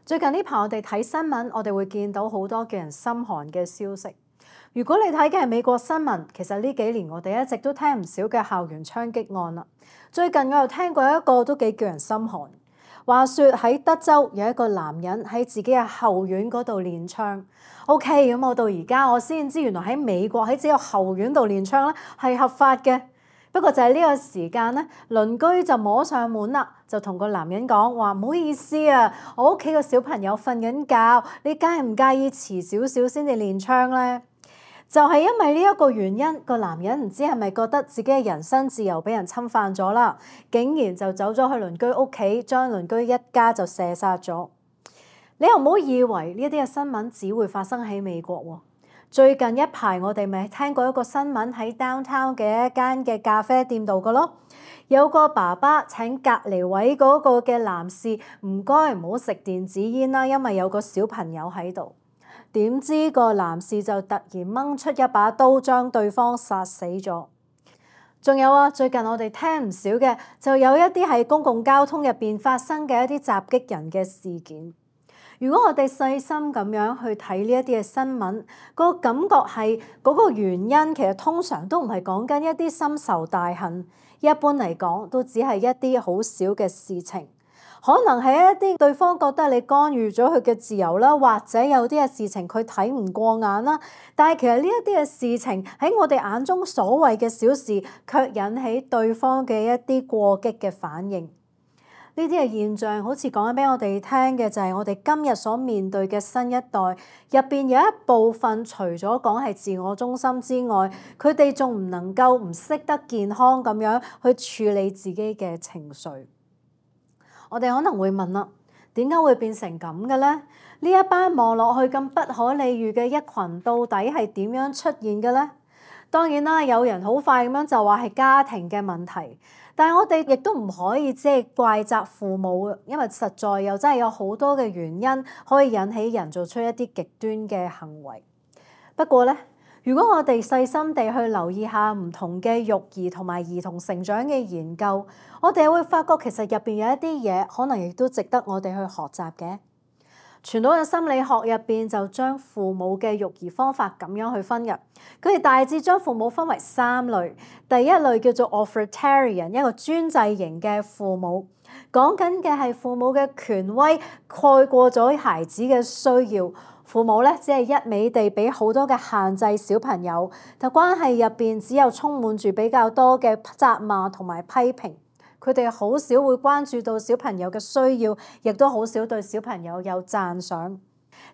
最近呢排我哋睇新聞，我哋會見到好多叫人心寒嘅消息。如果你睇嘅係美國新聞，其實呢幾年我哋一直都聽唔少嘅校園槍擊案啦。最近我又聽過一個都幾叫人心寒。話說喺德州有一個男人喺自己嘅後院嗰度練槍。OK， 咁我到而家我先知原來喺美國喺自己嘅後院度練槍咧係合法嘅。不過就係呢個時間咧，鄰居就摸上門啦，就同個男人講話：唔好意思啊，我屋企個小朋友瞓緊覺，你介唔介意遲少少先至練槍咧？就係因為呢一個原因，個男人唔知係咪覺得自己嘅人身自由俾人侵犯咗啦，竟然就走咗去鄰居屋企，將鄰居一家就射殺咗。你又唔好以為呢啲嘅新聞只會發生喺美國喎。最近一排我哋咪聽過一個新聞喺 downtown 嘅一間嘅咖啡店度嘅咯，有個爸爸請隔離位嗰個嘅男士唔該唔好食電子煙啦，因為有個小朋友喺度。點知個男士就突然掹出一把刀將對方殺死咗。仲有啊，最近我哋聽唔少嘅就有一啲喺公共交通入邊發生嘅一啲襲擊人嘅事件。如果我哋細心咁樣去睇呢一啲嘅新聞，個感覺係嗰個原因其實通常都唔係講緊一啲深仇大恨，一般嚟講都只係一啲好少嘅事情，可能係一啲對方覺得你干預咗佢嘅自由啦，或者有啲嘅事情佢睇唔過眼啦。但係其實呢一啲嘅事情喺我哋眼中所謂嘅小事，卻引起對方嘅一啲過激嘅反應。呢啲嘅現象好似講緊俾我哋聽嘅就係我哋今日所面對嘅新一代入邊有一部分，除咗講係自我中心之外，佢哋仲唔能夠唔識得健康咁樣去處理自己嘅情緒。我哋可能會問啦，點解會變成咁嘅咧？呢一班望落去咁不可理喻嘅一群，到底係點樣出現嘅咧？當然啦，有人好快咁樣就話係家庭嘅問題。但係我哋亦都唔可以即係怪責父母，因為實在又真係有好多嘅原因可以引起人做出一啲極端嘅行為。不過咧，如果我哋細心地去留意下唔同嘅育兒同埋兒童成長嘅研究，我哋會發覺其實入邊有一啲嘢可能亦都值得我哋去學習嘅。傳統嘅心理學入邊就將父母嘅育兒方法咁樣去分嘅，佢哋大致將父母分為3類。第一類叫做 authoritarian， 一個專制型嘅父母，講緊嘅係父母嘅權威蓋過咗孩子嘅需要。父母咧只係一味地俾好多嘅限制小朋友，但關係入邊只有充滿住比較多嘅責罵同埋批評。佢哋好少會關注到小朋友嘅需要，亦都好少對小朋友有讚賞。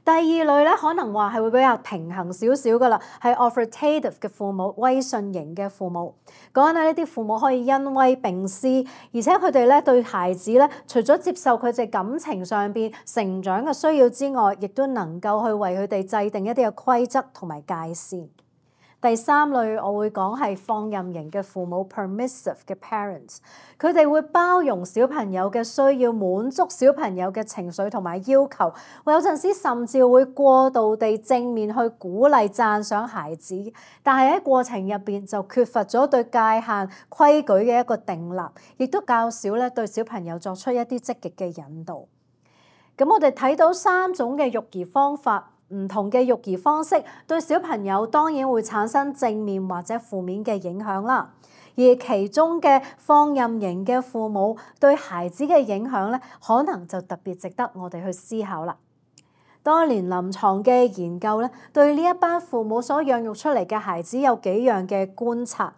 第二類咧，可能話係會比較平衡少少噶啦，係 authoritative 嘅父母，威信型嘅父母。講緊呢啲父母可以恩威並施，而且佢哋咧對孩子咧，除咗接受佢哋感情上邊成長嘅需要之外，亦都能夠去為佢哋制定一啲嘅規則同埋界線。第3類我會講係放任型嘅父母 permissive 嘅 parents， 佢哋會包容小朋友嘅需要，滿足小朋友嘅情緒同埋要求，有陣時甚至會過度地正面去鼓勵讚賞孩子，但係喺過程入邊就缺乏咗對界限規矩嘅一個訂立，亦都較少咧對小朋友作出一啲積極嘅引導。咁我哋睇到3種嘅育兒方法。唔同嘅育兒方式對小朋友當然會產生正面或者負面嘅影響啦，而其中嘅放任型嘅父母對孩子嘅影響咧，可能就特別值得我哋去思考啦。多年臨床嘅研究咧，對呢一班父母所養育出嚟嘅孩子有幾樣嘅觀察。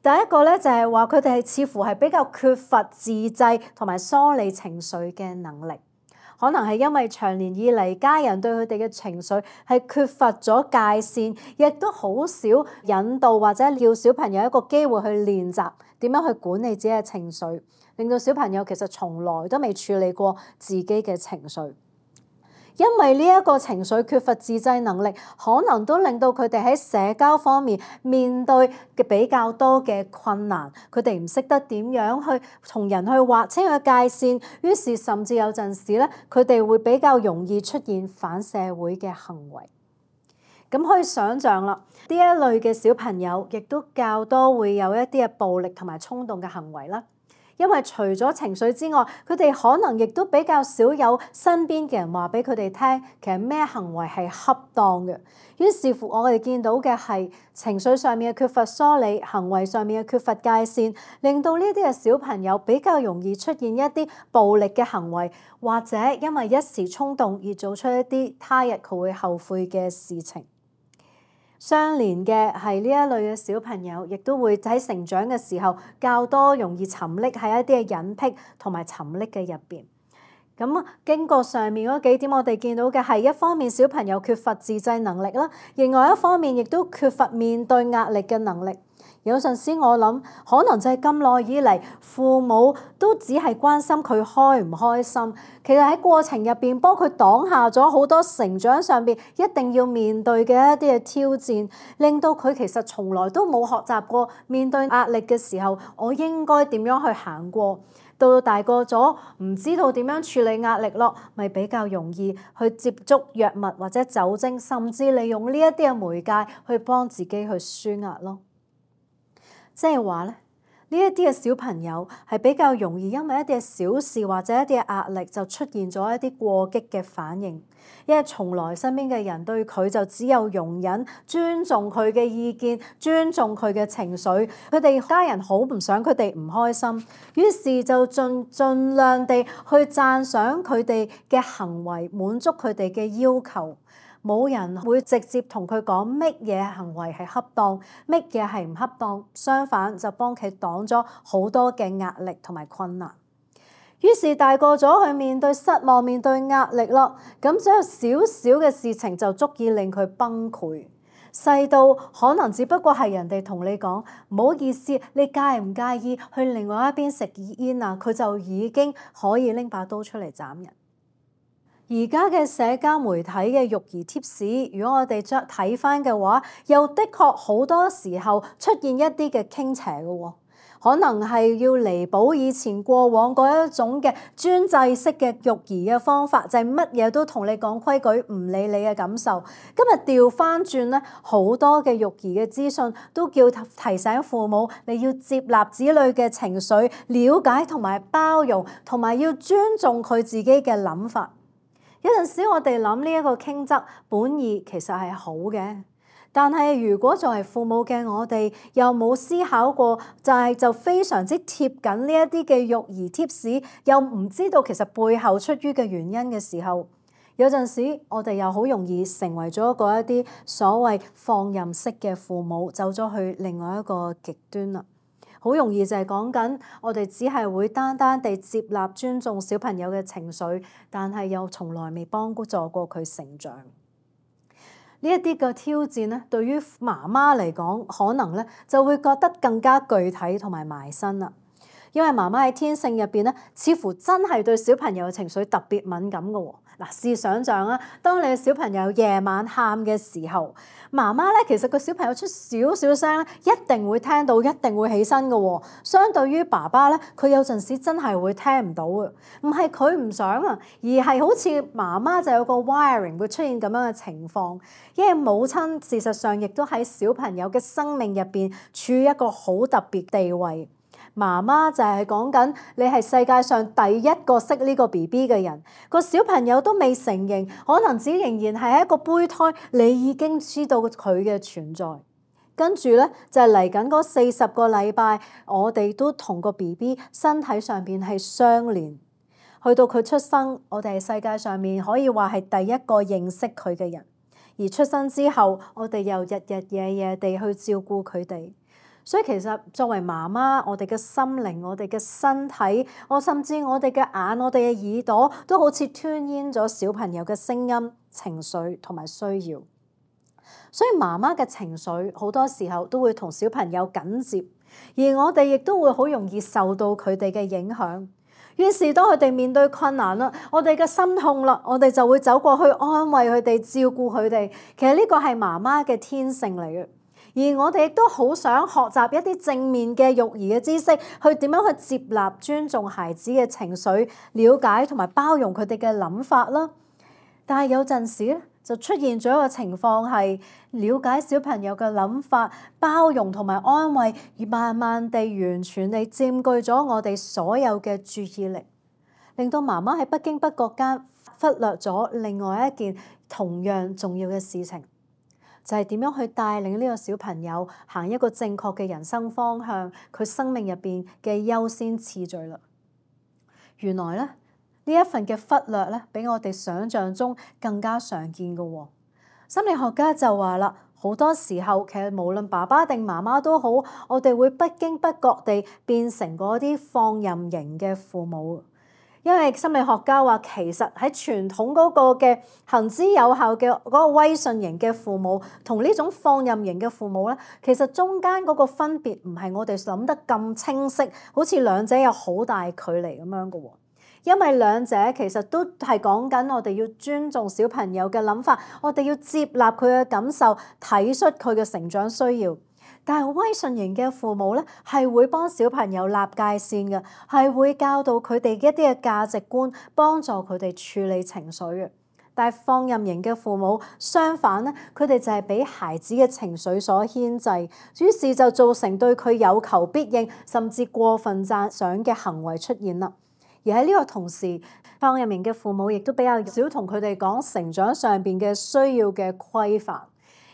第一個咧就係話佢哋係似乎係比較缺乏自制同埋梳理情緒嘅能力。可能係因為長年以嚟家人對佢哋嘅情緒係缺乏咗界線，亦都好少引導或者要小朋友一個機會去練習點樣去管理自己嘅情緒，令到小朋友其實從來都未處理過自己嘅情緒。因為呢一個情緒缺乏自制能力，可能都令到佢哋喺社交方面面對嘅比較多嘅困難。佢哋唔識得點樣去同人去劃清個界線，於是甚至有陣時咧，佢哋會比較容易出現反社會嘅行為。咁可以想像啦，呢一類嘅小朋友亦都較多會有一啲嘅暴力同埋衝動嘅行為啦。因為除咗情緒之外，佢哋可能亦都比較少有身邊嘅人話俾佢哋聽，其實咩行為係恰當嘅。於是乎，我哋見到嘅係情緒上面嘅缺乏梳理，行為上面嘅缺乏界線，令到呢啲嘅小朋友比較容易出現一啲暴力嘅行為，或者因為一時衝動而做出一啲他日佢會後悔嘅事情。相連嘅係呢一類嘅小朋友，亦都會喺成長嘅時候較多容易沉溺喺一啲嘅隱癖同埋沉溺嘅入邊。咁經過上面嗰幾點，我哋見到嘅係一方面小朋友缺乏自制能力啦，另外一方面亦都缺乏面對壓力嘅能力。有陣時我諗，可能就係咁耐以嚟，父母都只係關心佢開唔開心，其實喺過程入邊幫佢擋下咗好多成長上邊一定要面對嘅一啲嘅挑戰，令到佢其實從來都冇學習過面對壓力嘅時候，我應該點樣去行過。到大個咗，唔知道點樣處理壓力咯，咪比較容易去接觸藥物或者酒精，甚至利用呢一啲嘅媒介去幫自己去舒壓咯。即係話咧，呢一啲嘅小朋友係比較容易因為一啲嘅小事或者一啲嘅壓力就出現咗一啲過激嘅反應，因為從來身邊嘅人對佢就只有容忍、尊重佢嘅意見、尊重佢嘅情緒，佢哋家人好唔想佢哋唔開心，於是就盡量地去讚賞佢哋嘅行為，滿足佢哋嘅要求。冇人會直接同佢講乜嘢行為係恰當，乜嘢係唔恰當，相反就幫佢擋咗好多嘅壓力同埋困難。於是大個咗去面對失望、面對壓力咯，咁只有少少嘅事情就足以令佢崩潰。細到可能只不過係人哋同你講唔好意思，你介唔介意去另外一邊食煙啊？佢就已經可以拎把刀出嚟斬人。而家嘅社交媒體嘅育兒貼士，如果我哋再睇翻嘅話，又的確好多時候出現一啲嘅傾斜嘅喎，可能係要彌補以前過往嗰一種嘅專制式嘅育兒嘅方法，就係乜嘢都同你講規矩，唔理你嘅感受。今日調翻轉咧，好多嘅育兒嘅資訊都叫提醒父母，你要接納子女嘅情緒，了解同埋包容，同埋要尊重佢自己嘅諗法。有陣時我哋諗呢一個傾側本意其實係好嘅，但係如果作為父母嘅我哋又冇思考過，就非常之貼緊呢一啲嘅育兒貼士，又唔知道其實背後出於嘅原因嘅時候，有陣時我哋又好容易成為咗一啲所謂放任式嘅父母，走咗去另外一個極端啦。好容易就係講緊，我哋只係會單單地接納、尊重小朋友嘅情緒，但係又從來未幫助過佢成長。呢一啲嘅挑戰咧，對於媽媽嚟講，可能咧就會覺得更加具體同埋埋身啦。因為媽媽喺天性入邊咧，似乎真係對小朋友嘅情緒特別敏感嘅喎。嗱，試想像啊，當你嘅小朋友夜晚喊嘅時候，媽媽咧其實個小朋友出少少聲咧，一定會聽到，一定會起身嘅喎。相對於爸爸咧，佢有陣時真係會聽唔到嘅，唔係佢唔想啊，而係好似媽媽就有個 wiring 會出現咁樣嘅情況。因為母親事實上亦都喺小朋友嘅生命入邊處於一個好特別地位。媽媽就係講緊你係世界上第一個識呢個 BB 嘅人，個小朋友都未成形，可能只仍然係一個胚胎，你已經知道佢嘅存在。跟住咧就係嚟緊嗰40個禮拜，我哋都同個 BB 身體上邊係相連，去到佢出生，我哋係世界上面可以話係第一個認識佢嘅人，而出生之後，我哋又日日夜夜地去照顧佢哋。所以其實作為媽媽，我哋嘅心靈、我哋嘅身體，甚至我哋嘅眼、我哋嘅耳朵，都好似 tune in 咗小朋友嘅聲音、情緒同埋需要。所以媽媽嘅情緒好多時候都會同小朋友緊接，而我哋亦都會好容易受到佢哋嘅影響。於是當佢哋面對困難啦，我哋嘅心痛啦，我哋就會走過去安慰佢哋、照顧佢哋。其實呢個係媽媽嘅天性嚟嘅。而我哋亦都好想學習一啲正面嘅育兒嘅知識，去點樣去接納、尊重孩子嘅情緒，了解同埋包容佢哋嘅諗法啦。但係有陣時咧，就出現咗一個情況係了解小朋友嘅諗法，包容同埋安慰，而慢慢地完全地佔據咗我哋所有嘅注意力，令到媽媽喺不經不覺間忽略咗另外一件同樣重要嘅事情，就係點樣去帶領呢個小朋友行一個正確嘅人生方向，佢生命入邊嘅優先次序啦。原來咧，呢一份嘅忽略咧，比我哋想象中更加常見嘅喎。心理學家就話啦，好多時候其實無論爸爸定媽媽都好，我哋會不經不覺地變成嗰啲放任型嘅父母。因為心理學家話，其實喺傳統嗰個嘅行之有效嘅嗰個威信型嘅父母，同呢種放任型嘅父母咧，其實中間嗰個分別唔係我哋諗得咁清晰，好似兩者有好大距離咁樣嘅喎。因為兩者其實都係講緊我哋要尊重小朋友嘅諗法，我哋要接納佢嘅感受，體恤佢嘅成長需要。但係威信型嘅父母咧，係會幫小朋友立界線嘅，係會教導佢哋一啲嘅價值觀，幫助佢哋處理情緒嘅。但係放任型嘅父母相反咧，佢哋就係俾孩子嘅情緒所牽制，於是就造成對佢有求必應，甚至過分讚賞嘅行為出現啦。而喺呢個同時，放任型嘅父母亦都比較少同佢哋講成長上邊嘅需要嘅規範。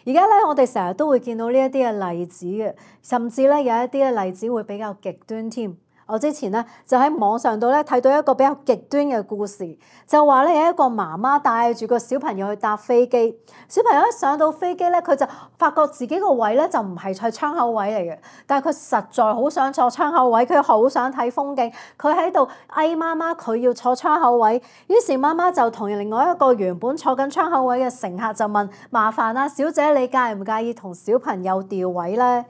而家咧，我哋成日都會見到呢一啲嘅例子嘅，甚至咧有一啲嘅例子會比較極端添。我之前咧就喺網上度咧睇到一個比較極端嘅故事，就話咧有一個媽媽帶住個小朋友去搭飛機，小朋友一上到飛機咧，佢就發覺自己個位咧就唔係喺窗口位嚟嘅，但係佢實在好想坐窗口位，佢好想睇風景，佢喺度嗌媽媽佢要坐窗口位，於是媽媽就同另外一個原本坐緊窗口位嘅乘客就問：麻煩啊，小姐你介唔介意同小朋友調位咧？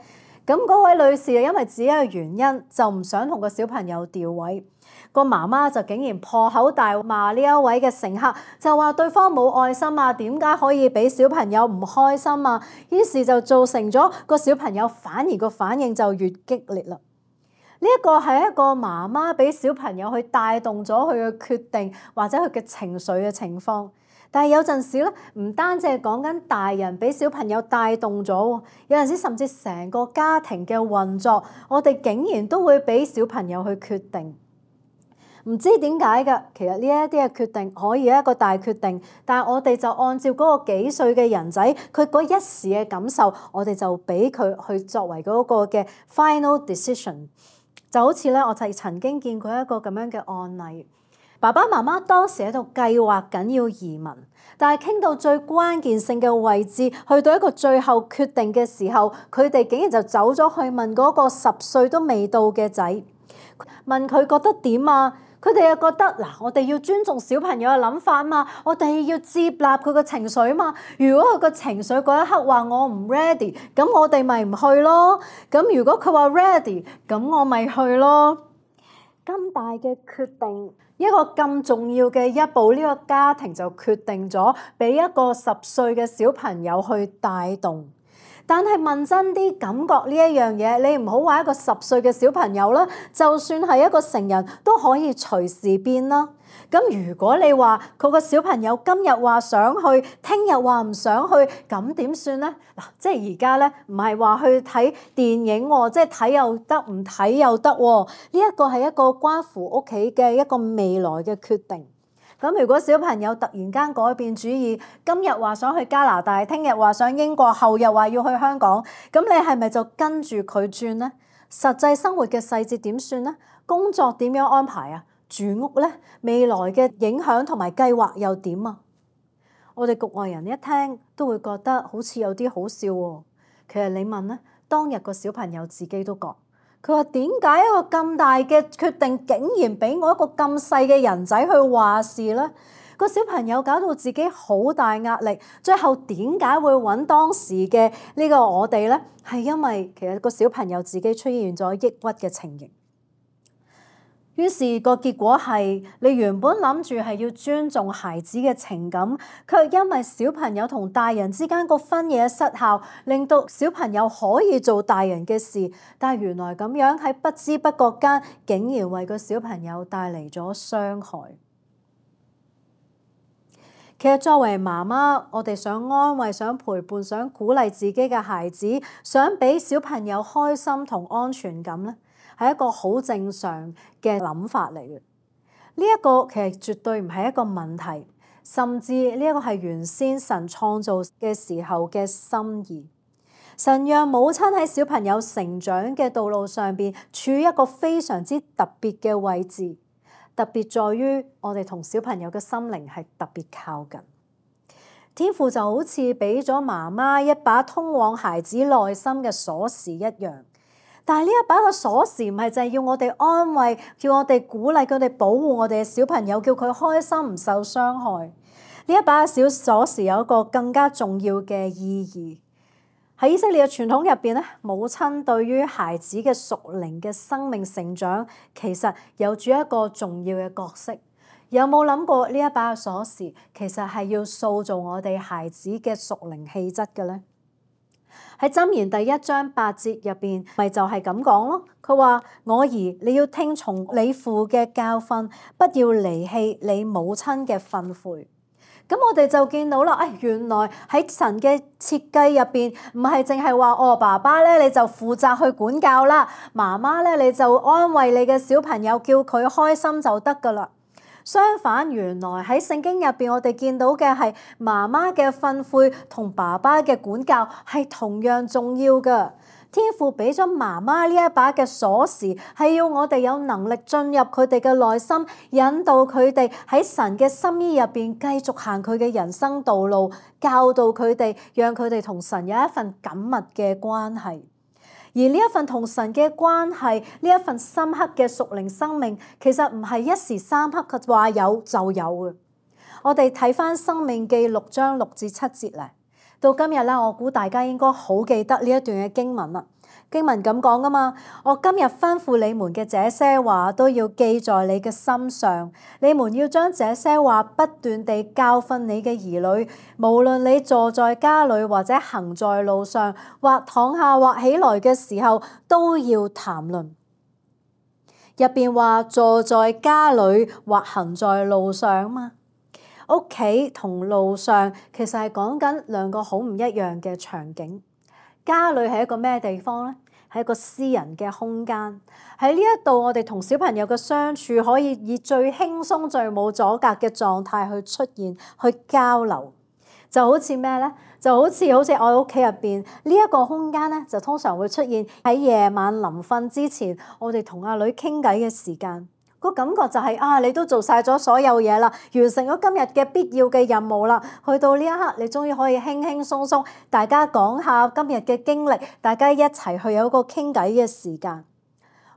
咁嗰位女士因為自己嘅原因就唔想同個小朋友調位，個媽媽就竟然破口大罵呢一位嘅乘客，就話對方冇愛心啊，點解可以俾小朋友唔開心啊？於是就造成咗個小朋友反而個反應就越激烈啦。呢一個係一個媽媽俾小朋友去帶動咗佢嘅決定或者佢嘅情緒嘅情況。但係有陣時咧，唔單止係講緊大人俾小朋友帶動咗，有陣時甚至成個家庭嘅運作，我哋竟然都會俾小朋友去決定。唔知點解㗎，其實呢一啲嘅決定可以係一個大決定，但係我哋就按照嗰個幾歲嘅人仔，佢嗰一時嘅感受，我哋就俾佢去作為嗰個嘅 final decision。就好似咧，我就曾經見過一個咁樣嘅案例。爸爸媽媽當時喺度計劃緊要移民，但係傾到最關鍵性嘅位置，去到一個最後決定嘅時候，佢哋竟然就走咗去問嗰個10歲都未到嘅仔，問佢覺得點啊？佢哋又覺得嗱，我哋要尊重小朋友嘅諗法嘛，我哋要接納佢個情緒嘛。如果佢個情緒嗰一刻話我唔 ready，咁我哋咪唔去咯。咁如果佢話 ready，咁我咪去咯。咁大嘅決定，一個咁重要嘅一步，呢個家庭就決定咗俾一個10歲嘅小朋友去帶動。但係問真啲，感覺呢一樣嘢，你唔好話一個10歲嘅小朋友啦，就算係一個成人都可以隨時變啦。咁如果你話佢個小朋友今日話想去，聽日話唔想去，咁點算咧？嗱，即係而家咧，唔係話去睇電影喎，即係睇又得，唔睇又得喎。呢一個係一個關乎屋企嘅一個未來嘅決定。咁如果小朋友突然間改變主意，今日話想去加拿大，聽日話想英國，後日話要去香港，咁你係咪就跟住佢轉呢？實際生活嘅細節點算呢？工作點樣安排啊？住屋呢？未來嘅影響同埋計劃又點啊？我哋局外人一聽都會覺得好似有啲好笑喎。其實你問呢，當日個小朋友自己都覺。佢話點解一個咁大嘅決定，竟然俾我一個咁細嘅人仔去話事咧？個小朋友搞到自己好大壓力，最後點解會揾當時嘅呢個我哋咧？係因為其實個小朋友自己出現咗抑鬱嘅情形。於是個結果係，你原本諗住係要尊重孩子嘅情感，卻因為小朋友同大人之間個分野失效，令到小朋友可以做大人嘅事，但係原來咁樣喺不知不覺間，竟然為個小朋友帶嚟咗傷害。其實作為媽媽，我哋想安慰、想陪伴、想鼓勵自己嘅孩子，想俾小朋友開心同安全感咧，係一個好正常嘅諗法嚟嘅。呢一個其實絕對唔係一個問題，甚至呢一個係原先神創造嘅時候嘅心意。神讓母親喺小朋友成長嘅道路上邊處於一個非常之特別嘅位置，特別在於我哋同小朋友嘅心靈係特別靠近。天父就好似俾咗媽媽一把通往孩子內心嘅鎖匙一樣。但係呢一把個鎖匙唔係就係要我哋安慰，叫我哋鼓勵佢哋保護我哋嘅小朋友，叫佢開心唔受傷害。呢一把小鎖匙有一個更加重要嘅意義。喺以色列嘅傳統入邊咧，母親對於孩子嘅屬靈嘅生命成長，其實有住一個重要嘅角色。有冇諗過呢一把鎖匙其實係要塑造我哋孩子嘅屬靈氣質嘅咧？喺箴言第1章8節入邊，咪就係咁講咯。佢話：我兒，你要聽從你父嘅教訓，不要離棄你母親嘅訓誨。咁我哋就見到啦，原來喺神嘅設計入邊，唔係淨係話爸爸咧你就負責去管教啦，媽媽咧你就安慰你嘅小朋友，叫佢開心就得噶啦。相反，原來喺聖經入邊，我哋見到嘅係媽媽嘅訓誨同爸爸嘅管教係同樣重要嘅。天父俾咗媽媽呢一把嘅鎖匙，係要我哋有能力進入佢哋嘅內心，引導佢哋喺神嘅心意入邊繼續行佢嘅人生道路，教導佢哋，讓佢哋同神有一份緊密嘅關係。而呢一份同神嘅關係，呢一份深刻嘅屬靈生命，其實唔係一時三刻嘅話有就有嘅。我哋睇返《申命記》6章6至7節咧，到今日咧，我估大家應該好記得呢一段嘅經文啦。經文咁講噶嘛，我今日吩咐你們嘅這些話都要記在你嘅心上，你們要將這些話不斷地教訓你嘅兒女，無論你坐在家裏或者行在路上，或躺下或起來嘅時候，都要談論。入邊話坐在家裏或行在路上嘛，屋企同路上其實係講緊兩個好唔一樣嘅場景。家裏係一個咩地方呢？係一個私人嘅空間。喺呢一度，我哋同小朋友嘅相處可以以最輕鬆、最冇阻隔嘅狀態去出現、去交流。就好似咩呢？就好似我喺屋企入邊呢一個空間呢，就通常會出現喺夜晚臨瞓之前，我哋同阿女傾偈嘅時間。個感覺就係你都做晒咗所有嘢啦，完成咗今日嘅必要嘅任務啦。去到呢一刻，你終於可以輕輕鬆鬆，大家講下今日嘅經歷，大家一齊去有一個傾偈嘅時間。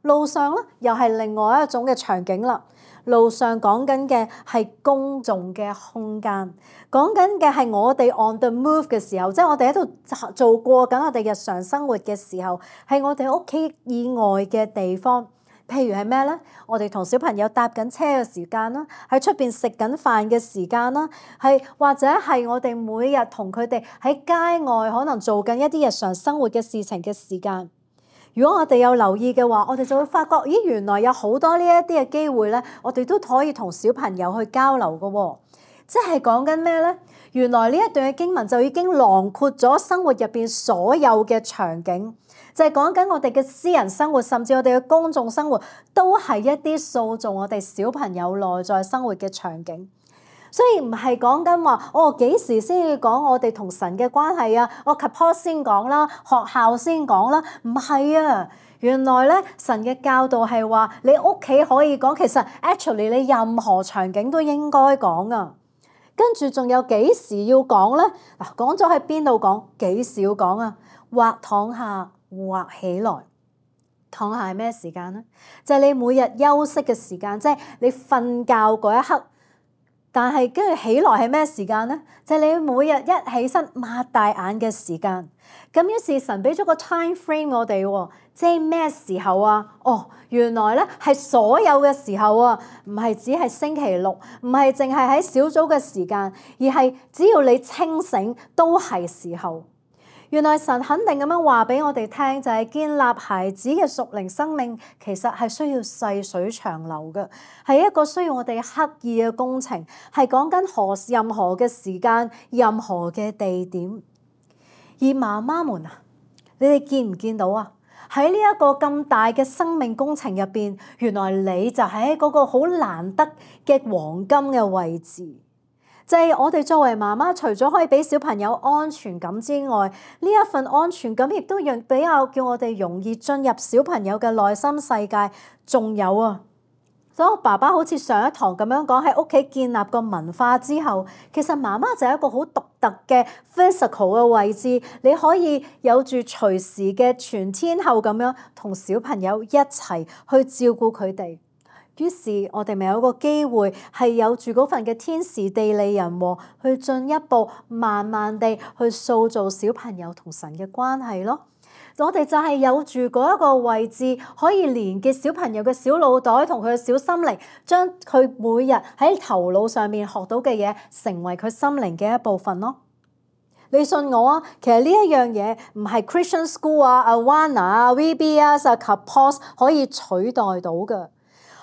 路上咧，又係另外一種嘅場景啦。路上講緊嘅係公眾嘅空間，講緊嘅係我哋 on the move 嘅時候，即係我哋喺度做過緊我哋日常生活嘅時候，係我哋屋企以外嘅地方。譬如係咩咧？我哋同小朋友搭緊車嘅時間啦，喺出邊食緊飯嘅時間啦，係或者係我哋每日同佢哋喺街外可能做緊一啲日常生活嘅事情嘅時間。如果我哋有留意嘅話，我哋就會發覺，咦，原來有好多呢一啲嘅機會咧，我哋都可以同小朋友去交流嘅喎。即係講緊咩咧？原來呢一段嘅經文就已經囊括咗生活入邊所有嘅場景。就係講緊我哋嘅私人生活，甚至我哋嘅公眾生活，都係一啲塑造我哋小朋友內在生活嘅場景。所以唔係講緊話，幾時先要講我哋同神嘅關係啊？我 suppose 先講啦，學校先講啦，唔係啊。原來咧，神嘅教導係話，你屋企可以講，其實 actually 你任何場景都應該講啊。跟住仲有幾時要講咧？嗱，講咗喺邊度講，幾時要講啊？或躺下，或起來。躺下係咩時間呢？就係你每日休息嘅時間，即係你瞓覺嗰一刻。但係跟住起來係咩時間呢？就係你每日一起身擘大眼嘅時間。咁於是神俾咗個 time frame 我哋喎，即係咩時候啊？原來咧係所有嘅時候啊，唔係只係星期六，唔係淨係喺小組嘅時間，而係只要你清醒都係時候。原來神肯定咁樣話俾我哋聽，就係建立孩子嘅屬靈生命，其實係需要細水長流嘅，係一個需要我哋刻意嘅工程，係講緊任何嘅時間、任何嘅地點。而媽媽們啊，你哋見唔見到啊？喺呢一個咁大嘅生命工程入邊，原來你就喺嗰個好難得嘅黃金嘅位置。就係我哋作為媽媽，除咗可以俾小朋友安全感之外，呢一份安全感亦都比較叫我哋容易進入小朋友嘅內心世界。仲有啊，當爸爸好似上一堂咁樣講，喺屋企建立個文化之後，其實媽媽就係一個好獨特嘅 physical 嘅位置，你可以有住隨時嘅全天候咁樣同小朋友一齊去照顧佢哋。於是我哋咪有個機會係有住嗰份嘅天時地利人和，去進一步慢慢地去塑造小朋友同神嘅關係咯。我哋就係有住嗰一個位置，可以連結小朋友嘅小腦袋同佢嘅小心靈，將佢每日喺頭腦上面學到嘅嘢，成為佢心靈嘅一部分咯。你信我啊，其實呢一樣嘢唔係 Christian School 啊、Awana 啊、VBS 啊及 POS 可以取代到嘅。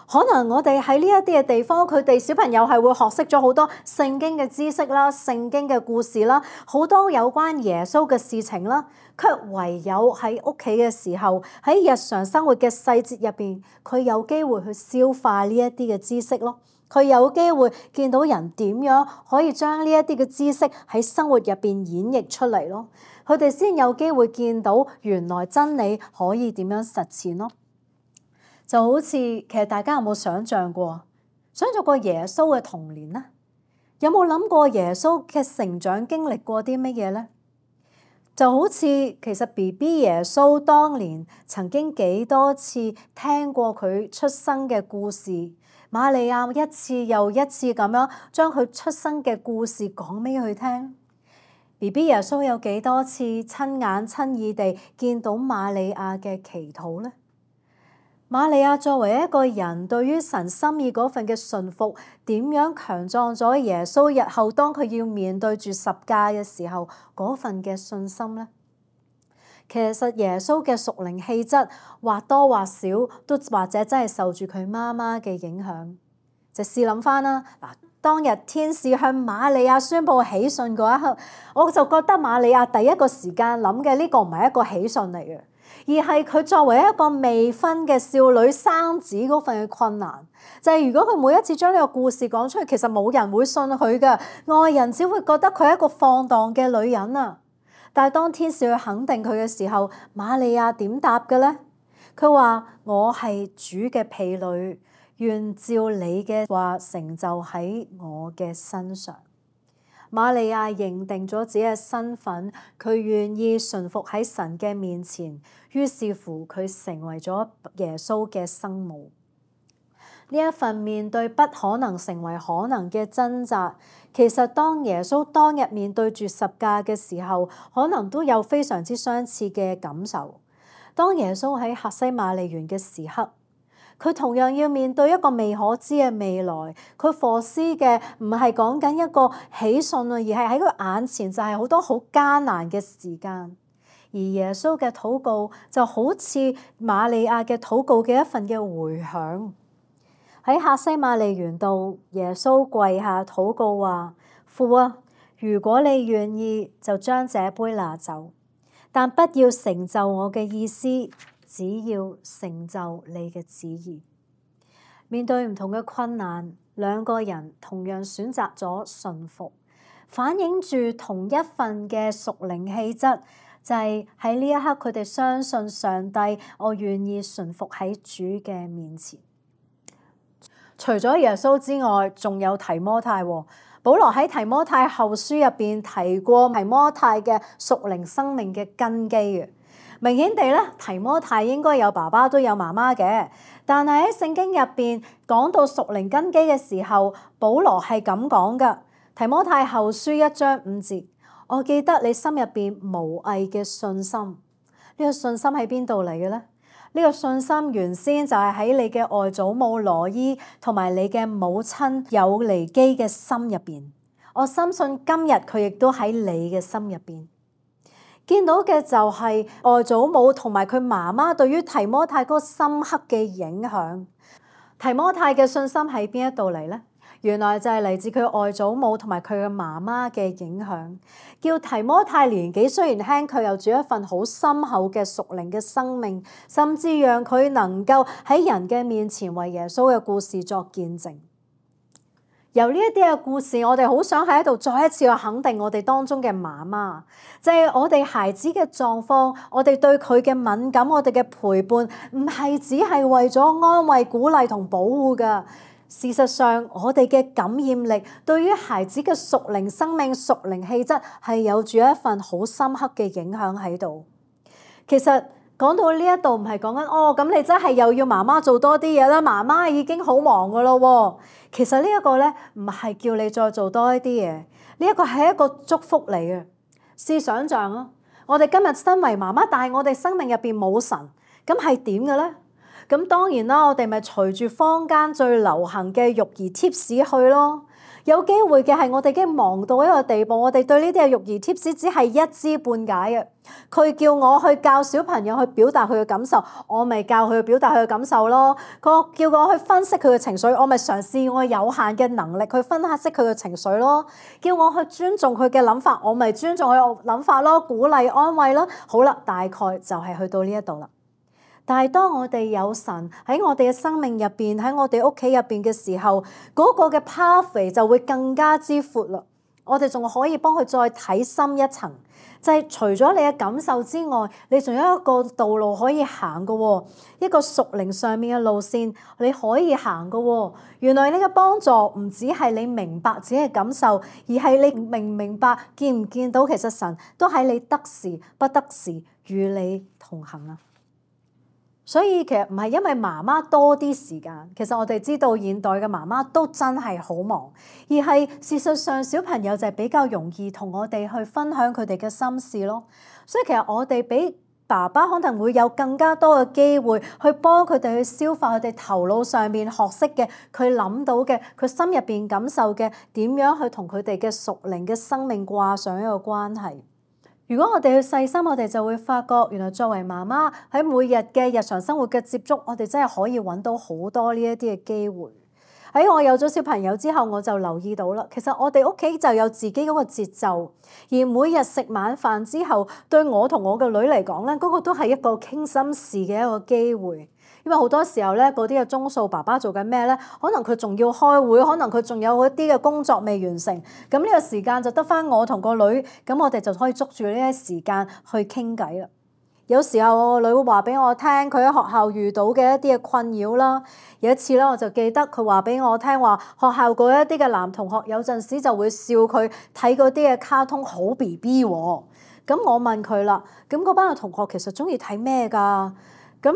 可能我哋喺呢一啲嘅地方，佢哋小朋友係會學識咗好多聖經嘅知識啦、聖經嘅故事啦、好多有關耶穌嘅事情啦，卻唯有喺屋企嘅時候，喺日常生活嘅細節入邊，佢有機會去消化呢一啲嘅知識咯。佢有機會見到人點樣可以將呢一啲嘅知識喺生活入邊演繹出嚟咯。佢哋先有機會見到原來真理可以點樣實踐咯。就好似其實大家有冇想像過耶穌嘅童年呢？有冇諗過耶穌嘅成長經歷過啲乜嘢呢？就好似其實 BB 耶穌當年曾經幾多次聽過佢出生嘅故事，瑪利亞一次又一次咁樣將佢出生嘅故事講俾佢聽。BB 耶穌有幾多次親眼親耳地見到瑪利亞嘅祈禱呢？瑪利亞作為一個人，對於神心意嗰份嘅順服，點樣強壯咗耶穌日後當佢要面對住十架嘅時候嗰份嘅信心呢？其實耶穌嘅屬靈氣質或多或少都或者真係受住佢媽媽嘅影響。就試諗翻啦，嗱，當日天使向瑪利亞宣佈喜訊嗰一刻，我就覺得瑪利亞第一個時間諗嘅呢個唔係一個喜訊嚟嘅。而係佢作為一個未婚嘅少女生子嗰份嘅困難，就係如果佢每一次將呢個故事講出去，其實冇人會信佢嘅，外人只會覺得佢係一個放蕩嘅女人啊。但係當天使去肯定佢嘅時候，瑪利亞點答嘅呢？佢話：我係主嘅婢女，願照你嘅話成就喺我嘅身上。瑪利亞認定咗自己嘅身份，佢願意順服喺神嘅面前，於是乎佢成為咗耶穌嘅生母。呢一份面對不可能成為可能嘅掙扎，其實當耶穌當日面對住十架嘅時候，可能都有非常之相似嘅感受。當耶穌喺客西馬尼園嘅時刻，佢同樣要面對一個未可知嘅未來，佢課思嘅唔係講緊一個喜訊啊，而係喺佢眼前就係好多好艱難嘅時間。而耶穌嘅禱告就好似瑪利亞嘅禱告嘅一份嘅回響。喺客西馬尼園度，耶穌跪下禱告話：父啊，如果你願意，就將這杯拿走，但不要成就我嘅意思，只要成就你嘅旨意。面對唔同嘅困難，兩個人同樣選擇咗順服，反映住同一份嘅屬靈氣質，就係喺呢一刻佢哋相信上帝，我願意順服喺主嘅面前。除咗耶穌之外，仲有提摩太喎。保羅喺提摩太後書入邊提過提摩太嘅屬靈生命嘅根基嘅。明顯地咧，提摩太應該有爸爸都有媽媽嘅，但係喺聖經入邊講到屬靈根基嘅時候，保羅係咁講噶。提摩太後書1章5節，我記得你心入邊無偽嘅信心。呢個信心喺邊度嚟嘅咧？呢個信心原先就係喺你嘅外祖母羅伊同埋你嘅母親友尼基嘅心入邊。我深信今日佢亦都喺你嘅心入邊。見到嘅就係外祖母同埋佢媽媽對於提摩太嗰個深刻嘅影響。提摩太嘅信心喺邊一度嚟呢？原來就係嚟自佢外祖母同埋佢嘅媽媽嘅影響，叫提摩太年紀雖然輕，佢又住一份好深厚嘅屬靈嘅生命，甚至讓佢能夠喺人嘅面前為耶穌嘅故事作見證。由呢一啲嘅故事，我哋好想喺度再一次去肯定我哋當中嘅媽媽，就係我哋孩子嘅狀況，我哋對佢嘅敏感，我哋嘅陪伴，唔係只係為咗安慰、鼓勵同保護㗎。事實上，我哋嘅感染力對於孩子嘅屬靈生命、屬靈氣質係有住一份好深刻嘅影響喺度。其實講到呢一度，唔係講緊咁你真係又要媽媽做多啲嘢啦，媽媽已經好忙㗎咯喎。其實呢一個咧，唔係叫你再做多一啲嘢，呢一個係一個祝福嚟嘅。試想像啊，我哋今日身為媽媽，但係我哋生命入邊冇神，咁係點嘅咧？咁當然啦，我哋咪隨住坊間最流行嘅育兒 tips 去咯。有機會嘅係我哋已經忙到一個地步，我哋對呢啲嘅育兒 tips 只係一知半解嘅。佢叫我去教小朋友去表達佢嘅感受，我咪教佢去表達佢嘅感受咯。佢叫我去分析佢嘅情緒，我咪嘗試我有限嘅能力去分析佢嘅情緒咯。叫我去尊重佢嘅諗法，我咪尊重佢嘅諗法咯，鼓勵安慰咯。好啦，大概就係去到呢一度啦。但係當我哋有神喺我哋嘅生命入邊，喺我哋屋企入邊嘅時候，嗰個嘅 pathway 就會更加之闊啦。我哋仲可以幫佢再睇深一層，就係除咗你嘅感受之外，你仲有一個道路可以行嘅喎，一個屬靈上面嘅路線你可以行嘅喎。原來呢個幫助唔只係你明白自己嘅感受，而係你明唔明白、見唔見到其實神都喺你得時不得時與你同行啊！所以其實唔係因為媽媽多啲時間，其實我哋知道現代嘅媽媽都真係好忙，而係事實上小朋友就係比較容易同我哋去分享佢哋嘅心事咯。所以其實我哋比爸爸可能會有更加多嘅機會去幫佢哋去消化佢哋頭腦上面學識嘅，佢諗到嘅，佢心入邊感受嘅，點樣去同佢哋嘅屬靈嘅生命掛上一個關係。如果我哋去細心，我哋就會發覺，原來作為媽媽喺每日嘅日常生活嘅接觸，我哋真係可以揾到好多呢一啲嘅機會。喺我有咗小朋友之後，我就留意到啦。其實我哋屋企就有自己嗰個節奏，而每日食晚飯之後，對我同我嘅女嚟講咧，嗰個都係一個傾心事嘅一個機會。因為好多時候咧，嗰啲嘅鐘數爸爸做緊咩咧？可能佢仲要開會，可能佢仲有一啲嘅工作未完成。咁呢個時間就得返我同個女，咁我哋就可以捉住呢啲時間去傾偈啦。有時候我個女會話俾我聽，佢喺學校遇到嘅一啲嘅困擾啦。有一次咧，我就記得佢話俾我聽話，學校嗰一啲嘅男同學有陣時就會笑佢睇嗰啲嘅卡通好 BB 喎。咁我問佢啦，咁嗰班嘅同學其實鍾意睇咩㗎？咁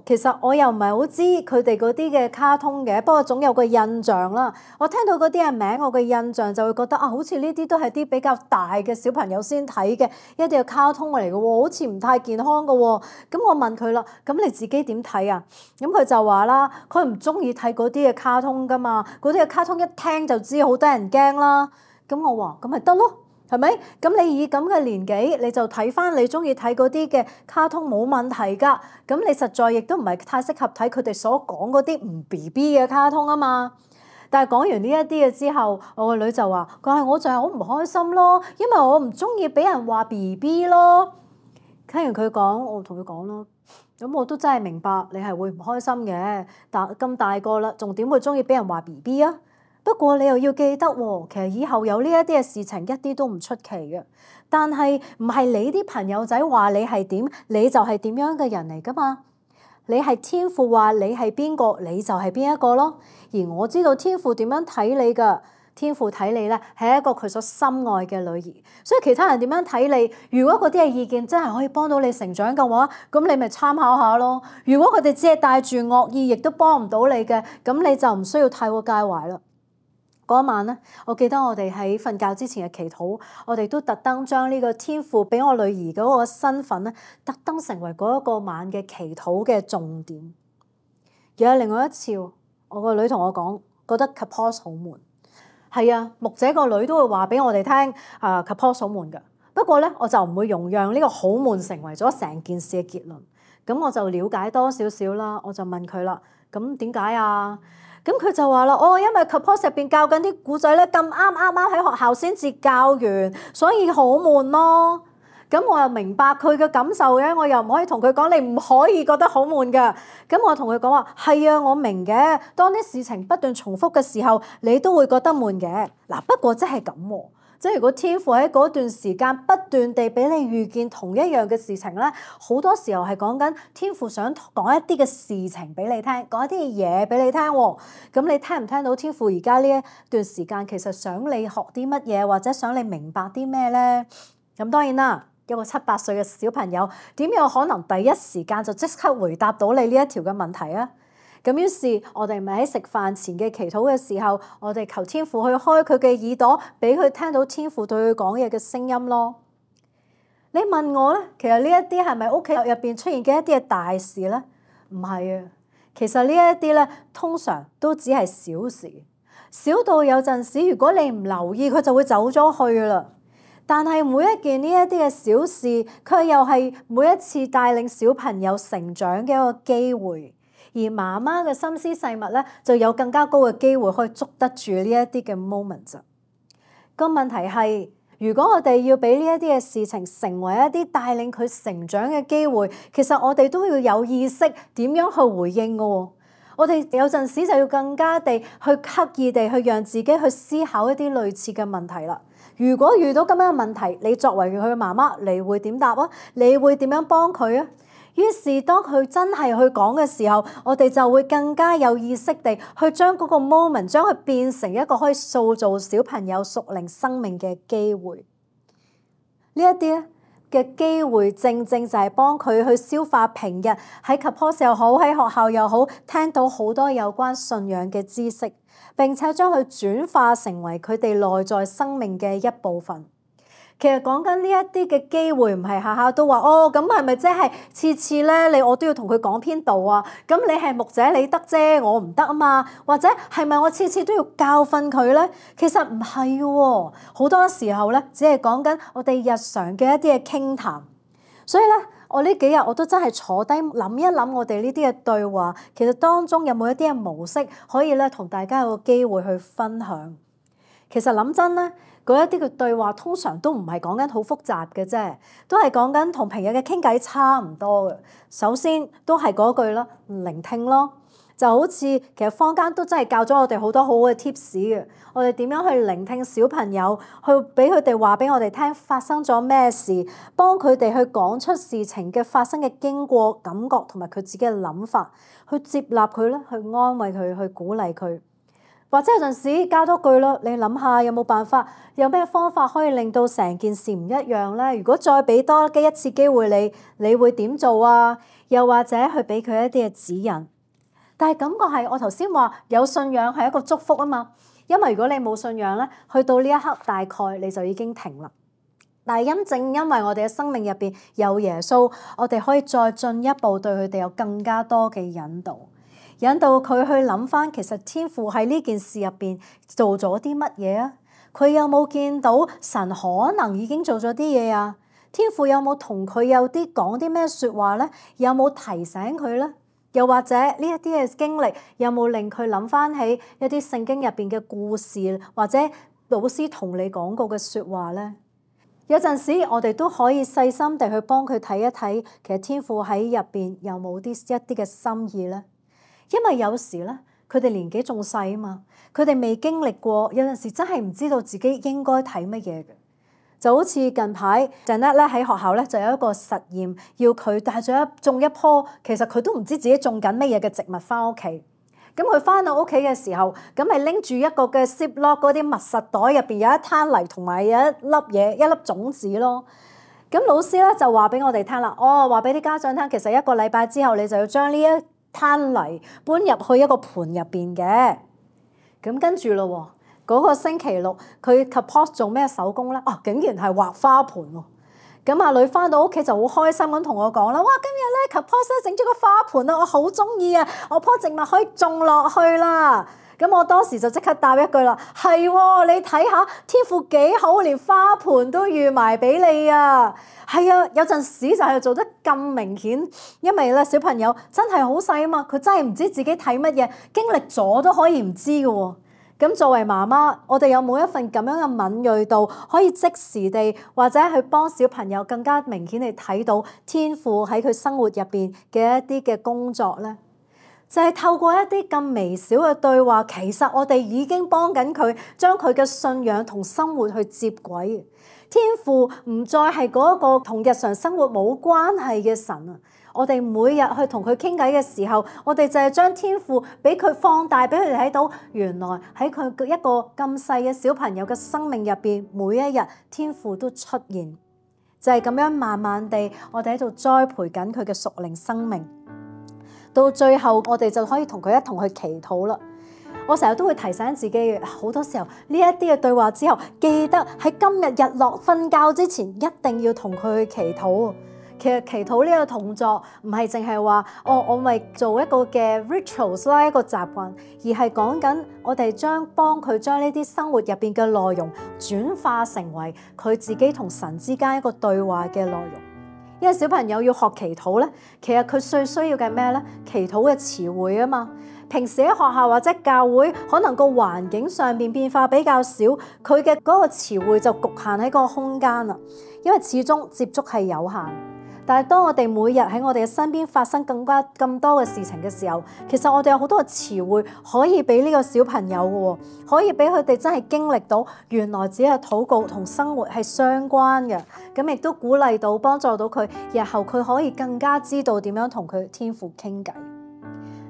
其實我又唔係好知佢哋嗰啲嘅卡通嘅，不過總有個印象啦。我聽到嗰啲嘅名，我嘅印象就會覺得好似呢啲都係啲比較大嘅小朋友先睇嘅一啲嘅卡通嚟嘅喎，好似唔太健康嘅喎。咁我問佢啦，咁你自己點睇啊？咁佢就話啦，佢唔中意睇嗰啲嘅卡通㗎嘛，嗰啲嘅卡通一聽就知好得人驚啦。咁我話咁咪得咯。係咪？咁你以咁嘅年紀，你就睇返你鍾意睇嗰啲嘅卡通冇問題㗎。咁你實在亦都唔係太適合睇佢哋所講嗰啲唔 BB 嘅卡通啊嘛。但係講完呢一啲嘅之後，我個女就話：佢係我就係好唔開心咯，因為我唔鍾意俾人話 BB 咯。聽完佢講，我同佢講咯。咁我都真係明白你係會唔開心嘅，但咁大個啦，仲點會鍾意俾人話 BB 啊？不過你又要記得喎，其實以後有呢一啲嘅事情一啲都唔出奇嘅。但係唔係你啲朋友仔話你係點，你就係點樣嘅人嚟㗎嘛？你係天父話你係邊個，你就係邊一個咯。而我知道天父點樣睇你㗎，天父睇你咧係一個佢所深愛嘅女兒。所以其他人點樣睇你，如果嗰啲嘅意見真係可以幫到你成長嘅話，咁你咪參考下咯。如果佢哋只係帶住惡意，亦都幫唔到你嘅，咁你就唔需要太過介懷啦。嗰晚咧，我記得我哋喺瞓覺之前嘅祈禱，我哋都特登將呢個天父俾我女兒嗰個身份咧，特登成為嗰一個晚嘅祈禱嘅重點。又有另外一次，我個女同我講，覺得 Kapos 好悶。係啊，牧者個女都會話俾我哋聽，Kapos 好悶㗎。不過咧，我就唔會容讓呢個好悶成為咗成件事嘅結論。咁我就了解多少少啦，我就問佢啦，咁點解啊？咁佢就話啦，因為 Kapos 入邊教緊啲古仔咧，咁啱喺學校先至教完，所以好悶咯。咁我又明白佢嘅感受嘅，我又唔可以同佢講你唔可以覺得好悶㗎。咁我同佢講話係啊，我明嘅。當啲事情不斷重複嘅時候，你都會覺得悶嘅。嗱，不過真係咁喎。即係如果天父喺嗰段時間不斷地俾你遇見同一樣嘅事情咧，好多時候係講緊天父想講一啲嘅事情俾你聽，講一啲嘢俾你聽喎。咁你聽唔聽到天父而家呢一段時間其實想你學啲乜嘢，或者想你明白啲咩咧？咁當然啦，一個7、8歲嘅小朋友點有可能第一時間就即刻回答到你呢一條嘅問題啊？咁於是，我哋咪喺食飯前嘅祈禱嘅時候，我哋求天父去開佢嘅耳朵，俾佢聽到天父對佢講嘢嘅聲音咯。你問我咧，其實呢一啲係咪屋企入邊出現嘅一啲嘅大事咧？唔係啊，其實呢一啲咧，通常都只係小事，小到有陣時，如果你唔留意，佢就會走咗去啦。但係每一件呢一啲嘅小事，佢又係每一次帶領小朋友成長嘅一個機會。而媽媽嘅心思細密咧，就有更加高嘅機會可以捉得住呢一啲嘅 moment。個問題係，如果我哋要俾呢一啲嘅事情成為一啲帶領佢成長嘅機會，其實我哋都要有意識點樣去回應嘅喎。我哋有陣時就要更加地去刻意地去讓自己去思考一啲類似嘅問題啦。如果遇到咁樣嘅問題，你作為佢嘅媽媽，你會點答啊？你會點樣幫佢啊？於是當佢真係去講嘅時候，我哋就會更加有意識地去將嗰個 moment 將佢變成一個可以塑造小朋友屬靈生命嘅機會。呢一啲咧嘅機會，正正就係幫佢去消化平日喺 Kapos 又好，喺學校又好，聽到好多有關信仰嘅知識，並且將佢轉化成為佢哋內在生命嘅一部分。其實講緊呢一啲嘅機會，唔係下下都話咁係咪即係次次咧我都要同佢講篇道啊？咁你係牧者你得啫，我唔得啊嘛？或者係咪我次次都要教訓佢咧？其實唔係喎，好多時候咧只係講緊我哋日常嘅一啲嘅傾談。所以咧，我呢幾日我都真係坐低諗一諗我哋呢啲嘅對話，其實當中有冇一啲嘅模式可以咧同大家有個機會去分享。其實諗真咧，嗰一啲嘅對話通常都唔係講緊好複雜嘅啫，都係講緊同平日嘅傾偈差唔多嘅。首先都係嗰句啦，聆聽咯，就好似其實坊間都真係教咗我哋好多好好嘅 tips 嘅。我哋點樣去聆聽小朋友，去俾佢哋話俾我哋聽發生咗咩事，幫佢哋去講出事情嘅發生嘅經過、感覺同埋佢自己嘅諗法，去接納佢啦，去安慰佢，去鼓勵佢。或者有陣時加多句咯，你諗下有冇辦法，有咩方法可以令到成件事唔一樣咧？如果再俾多一次機會你會點做啊？又或者去俾佢一啲嘅指引。但係感覺係我頭先話有信仰係一個祝福啊嘛，因為如果你冇信仰咧，去到呢一刻大概你就已經停啦。但係正因為我哋嘅生命入邊有耶穌，我哋可以再進一步對佢哋有更加多嘅引導。引導佢去諗翻，其實天父喺呢件事入邊做咗啲乜嘢啊？佢有冇見到神可能已經做咗啲嘢啊？天父有冇同佢有啲講啲咩説話咧？有冇提醒佢咧？又或者呢一啲嘅經歷有冇令佢諗翻起一啲聖經入邊嘅故事，或者老師同你講過嘅説話咧？有陣時我哋都可以細心地去幫佢睇一睇，其實天父喺入邊有冇一啲嘅心意咧？因為有時咧，佢哋年紀仲細啊嘛，佢哋未經歷過，有陣時真係唔知道自己應該睇乜嘢嘅。就好似近排 Janet 咧喺學校咧就有一個實驗，要佢帶咗種一棵，其實佢都唔知自己種緊乜嘢嘅植物翻屋企。咁佢翻到屋企嘅時候，咁咪拎住一個嘅 Ziploc 嗰啲密實袋，入邊有一灘泥同埋有一粒嘢，一粒種子咯。咁老師咧就話俾我哋聽啦，話俾啲家長聽，其實1個禮拜之後你就要將呢一攤泥搬入去一個盤入邊嘅。咁跟住咯，嗰個星期六佢 Kapos 做咩手工咧？竟然係畫花盆喎！咁阿女翻到屋企就好開心咁同我講啦，哇！今日咧 Kapos 整咗個花盆啊，我好中意啊，我棵植物可以種落去啦。咁我當時就即刻答一句啦，係喎，你睇下天父幾好，連花盆都預埋俾你啊！係啊，有陣時就係做得咁明顯，因為咧小朋友真係好細啊嘛，佢真係唔知自己睇乜嘢，經歷咗都可以唔知嘅喎。咁作為媽媽，我哋有冇一份咁樣嘅敏鋭度，可以即時地或者去幫小朋友更加明顯地睇到天父喺佢生活入邊嘅一啲嘅工作呢？就係透過一啲咁微小嘅對話，其實我哋已經幫緊佢將佢嘅信仰同生活去接軌。天父唔再係嗰個同日常生活冇關係嘅神啊！我哋每日去同佢傾偈嘅時候，我哋就係將天父俾佢放大，俾佢哋睇到原來喺佢一個咁細嘅小朋友嘅生命入邊，每一日天父都出現，就係咁樣慢慢地，我哋喺度栽培緊佢嘅屬靈生命。到最後，我哋就可以同佢一同去祈禱啦。我成日都會提醒自己，好多時候呢一啲嘅對話之後，記得喺今日日落瞓覺之前，一定要同佢去祈禱。其實祈禱呢個動作唔係淨係話我咪做一個嘅 rituals 啦，一個習慣，而係講緊我哋幫佢將呢啲生活入邊嘅內容轉化成為佢自己同神之間一個對話嘅內容。因為小朋友要學祈禱咧，其實佢最需要嘅咩咧？祈禱嘅詞彙啊嘛。平時喺學校或者教會，可能個環境上邊變化比較少，佢嘅嗰個詞彙就局限喺個空間啦。因為始終接觸係有限。但係當我哋每日喺我哋嘅身邊發生咁多嘅事情嘅時候，其實我哋有好多嘅詞彙可以俾呢個小朋友嘅，可以俾佢哋真係經歷到原來只係禱告同生活係相關嘅，咁亦都鼓勵到幫助到佢，日後佢可以更加知道點樣同佢天父傾偈。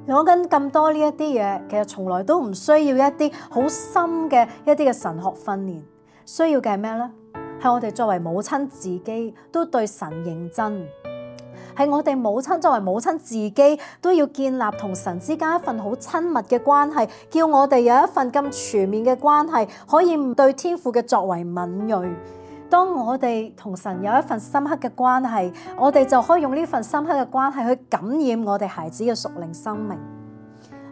講緊咁多呢一啲嘢，其實從來都唔需要一啲好深嘅一啲嘅神學訓練，需要嘅係咩呢？係我哋作為母親自己都對神認真，係我哋作為母親自己都要建立同神之間一份好親密嘅關係，叫我哋有一份咁全面嘅關係，可以對天父嘅作為敏銳。當我哋同神有一份深刻嘅關係，我哋就可以用呢份深刻嘅關係去感染我哋孩子嘅屬靈生命。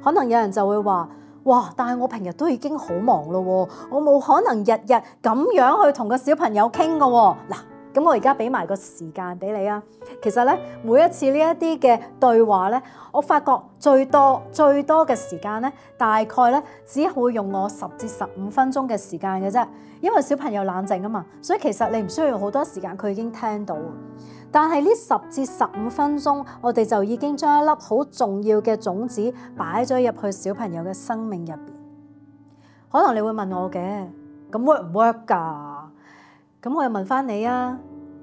可能有人就會話：哇！但係我平日都已經好忙咯，我冇可能日日咁樣去同個小朋友傾㗎喎。嗱，咁我而家俾埋個時間俾你啊。其實咧，每一次呢一啲嘅對話咧，我發覺最多嘅時間咧，大概咧只會用我10至15分鐘嘅時間嘅啫。因為小朋友冷靜啊嘛，所以其實你唔需要好多時間，佢已經聽到。但係呢10至15分鐘，我哋就已經將一粒好重要嘅種子擺咗入去小朋友嘅生命入邊。可能你會問我嘅，咁 work 唔 work 㗎？咁我又問翻你啊，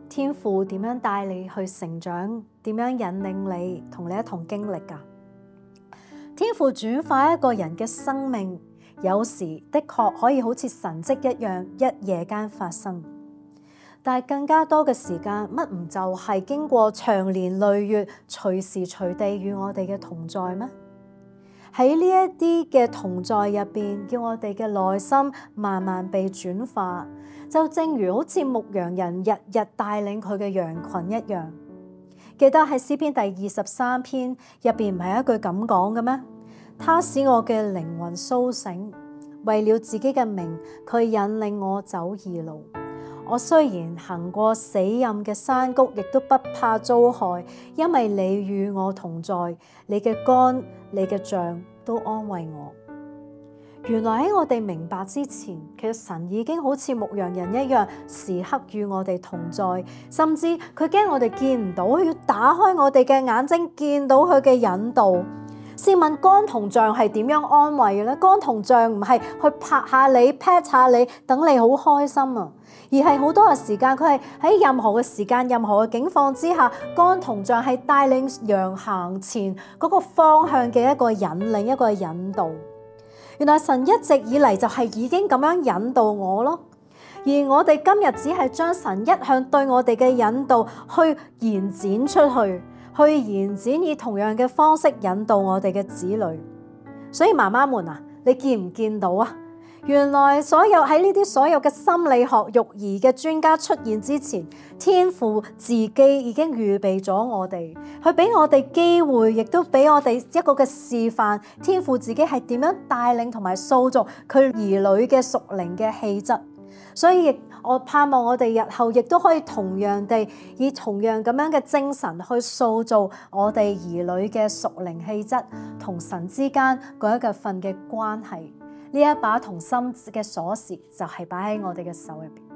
天父點樣帶你去成長？點樣引領你同你一同經歷㗎？天父轉化一個人嘅生命，有時的確可以好似神蹟一樣，一夜間發生。但係更加多嘅時間，乜唔就係經過長年累月，隨時隨地與我哋嘅同在咩？喺呢一啲嘅同在入邊，叫我哋嘅內心慢慢被轉化，就正如好似牧羊人日日帶領佢嘅羊群一樣。記得喺詩篇第23篇入邊唔係一句咁講嘅咩？他使我嘅靈魂甦醒，為了自己嘅名，佢引領我走義路。我雖然行過死蔭嘅山谷，亦都不怕遭害，因為你與我同在，你嘅竿、你嘅杖都安慰我。原來喺我哋明白之前，其實神已經好似牧羊人一樣，時刻與我哋同在，甚至佢驚我哋見唔到，佢要打開我哋嘅眼睛，見到佢嘅引導。試問竿同杖係點樣安慰嘅咧？竿同杖唔係去拍下你、pat 下你，等你好開心啊，而係好多嘅時間，佢係喺任何嘅時間、任何嘅境況之下，竿同杖係帶領羊行前嗰個方向嘅一個引領、一個引導。原來神一直以嚟就係已經咁樣引導我咯，而我哋今日只係將神一向對我哋嘅引導去延展出去。去延展以同樣嘅方式引導我哋嘅子女，所以媽媽們啊，你見唔見到啊？原來喺呢啲所有嘅心理學育兒嘅專家出現之前，天父自己已經預備咗我哋，佢俾我哋機會，亦都俾我哋一個嘅示範。天父自己係點樣帶領同埋塑造佢兒女嘅屬靈嘅氣質，所以我盼望我哋日後亦都可以同樣地以同樣咁樣嘅精神去塑造我哋兒女嘅屬靈氣質同神之間嗰一份嘅關係。呢一把同心嘅鎖匙就係擺喺我哋嘅手入邊。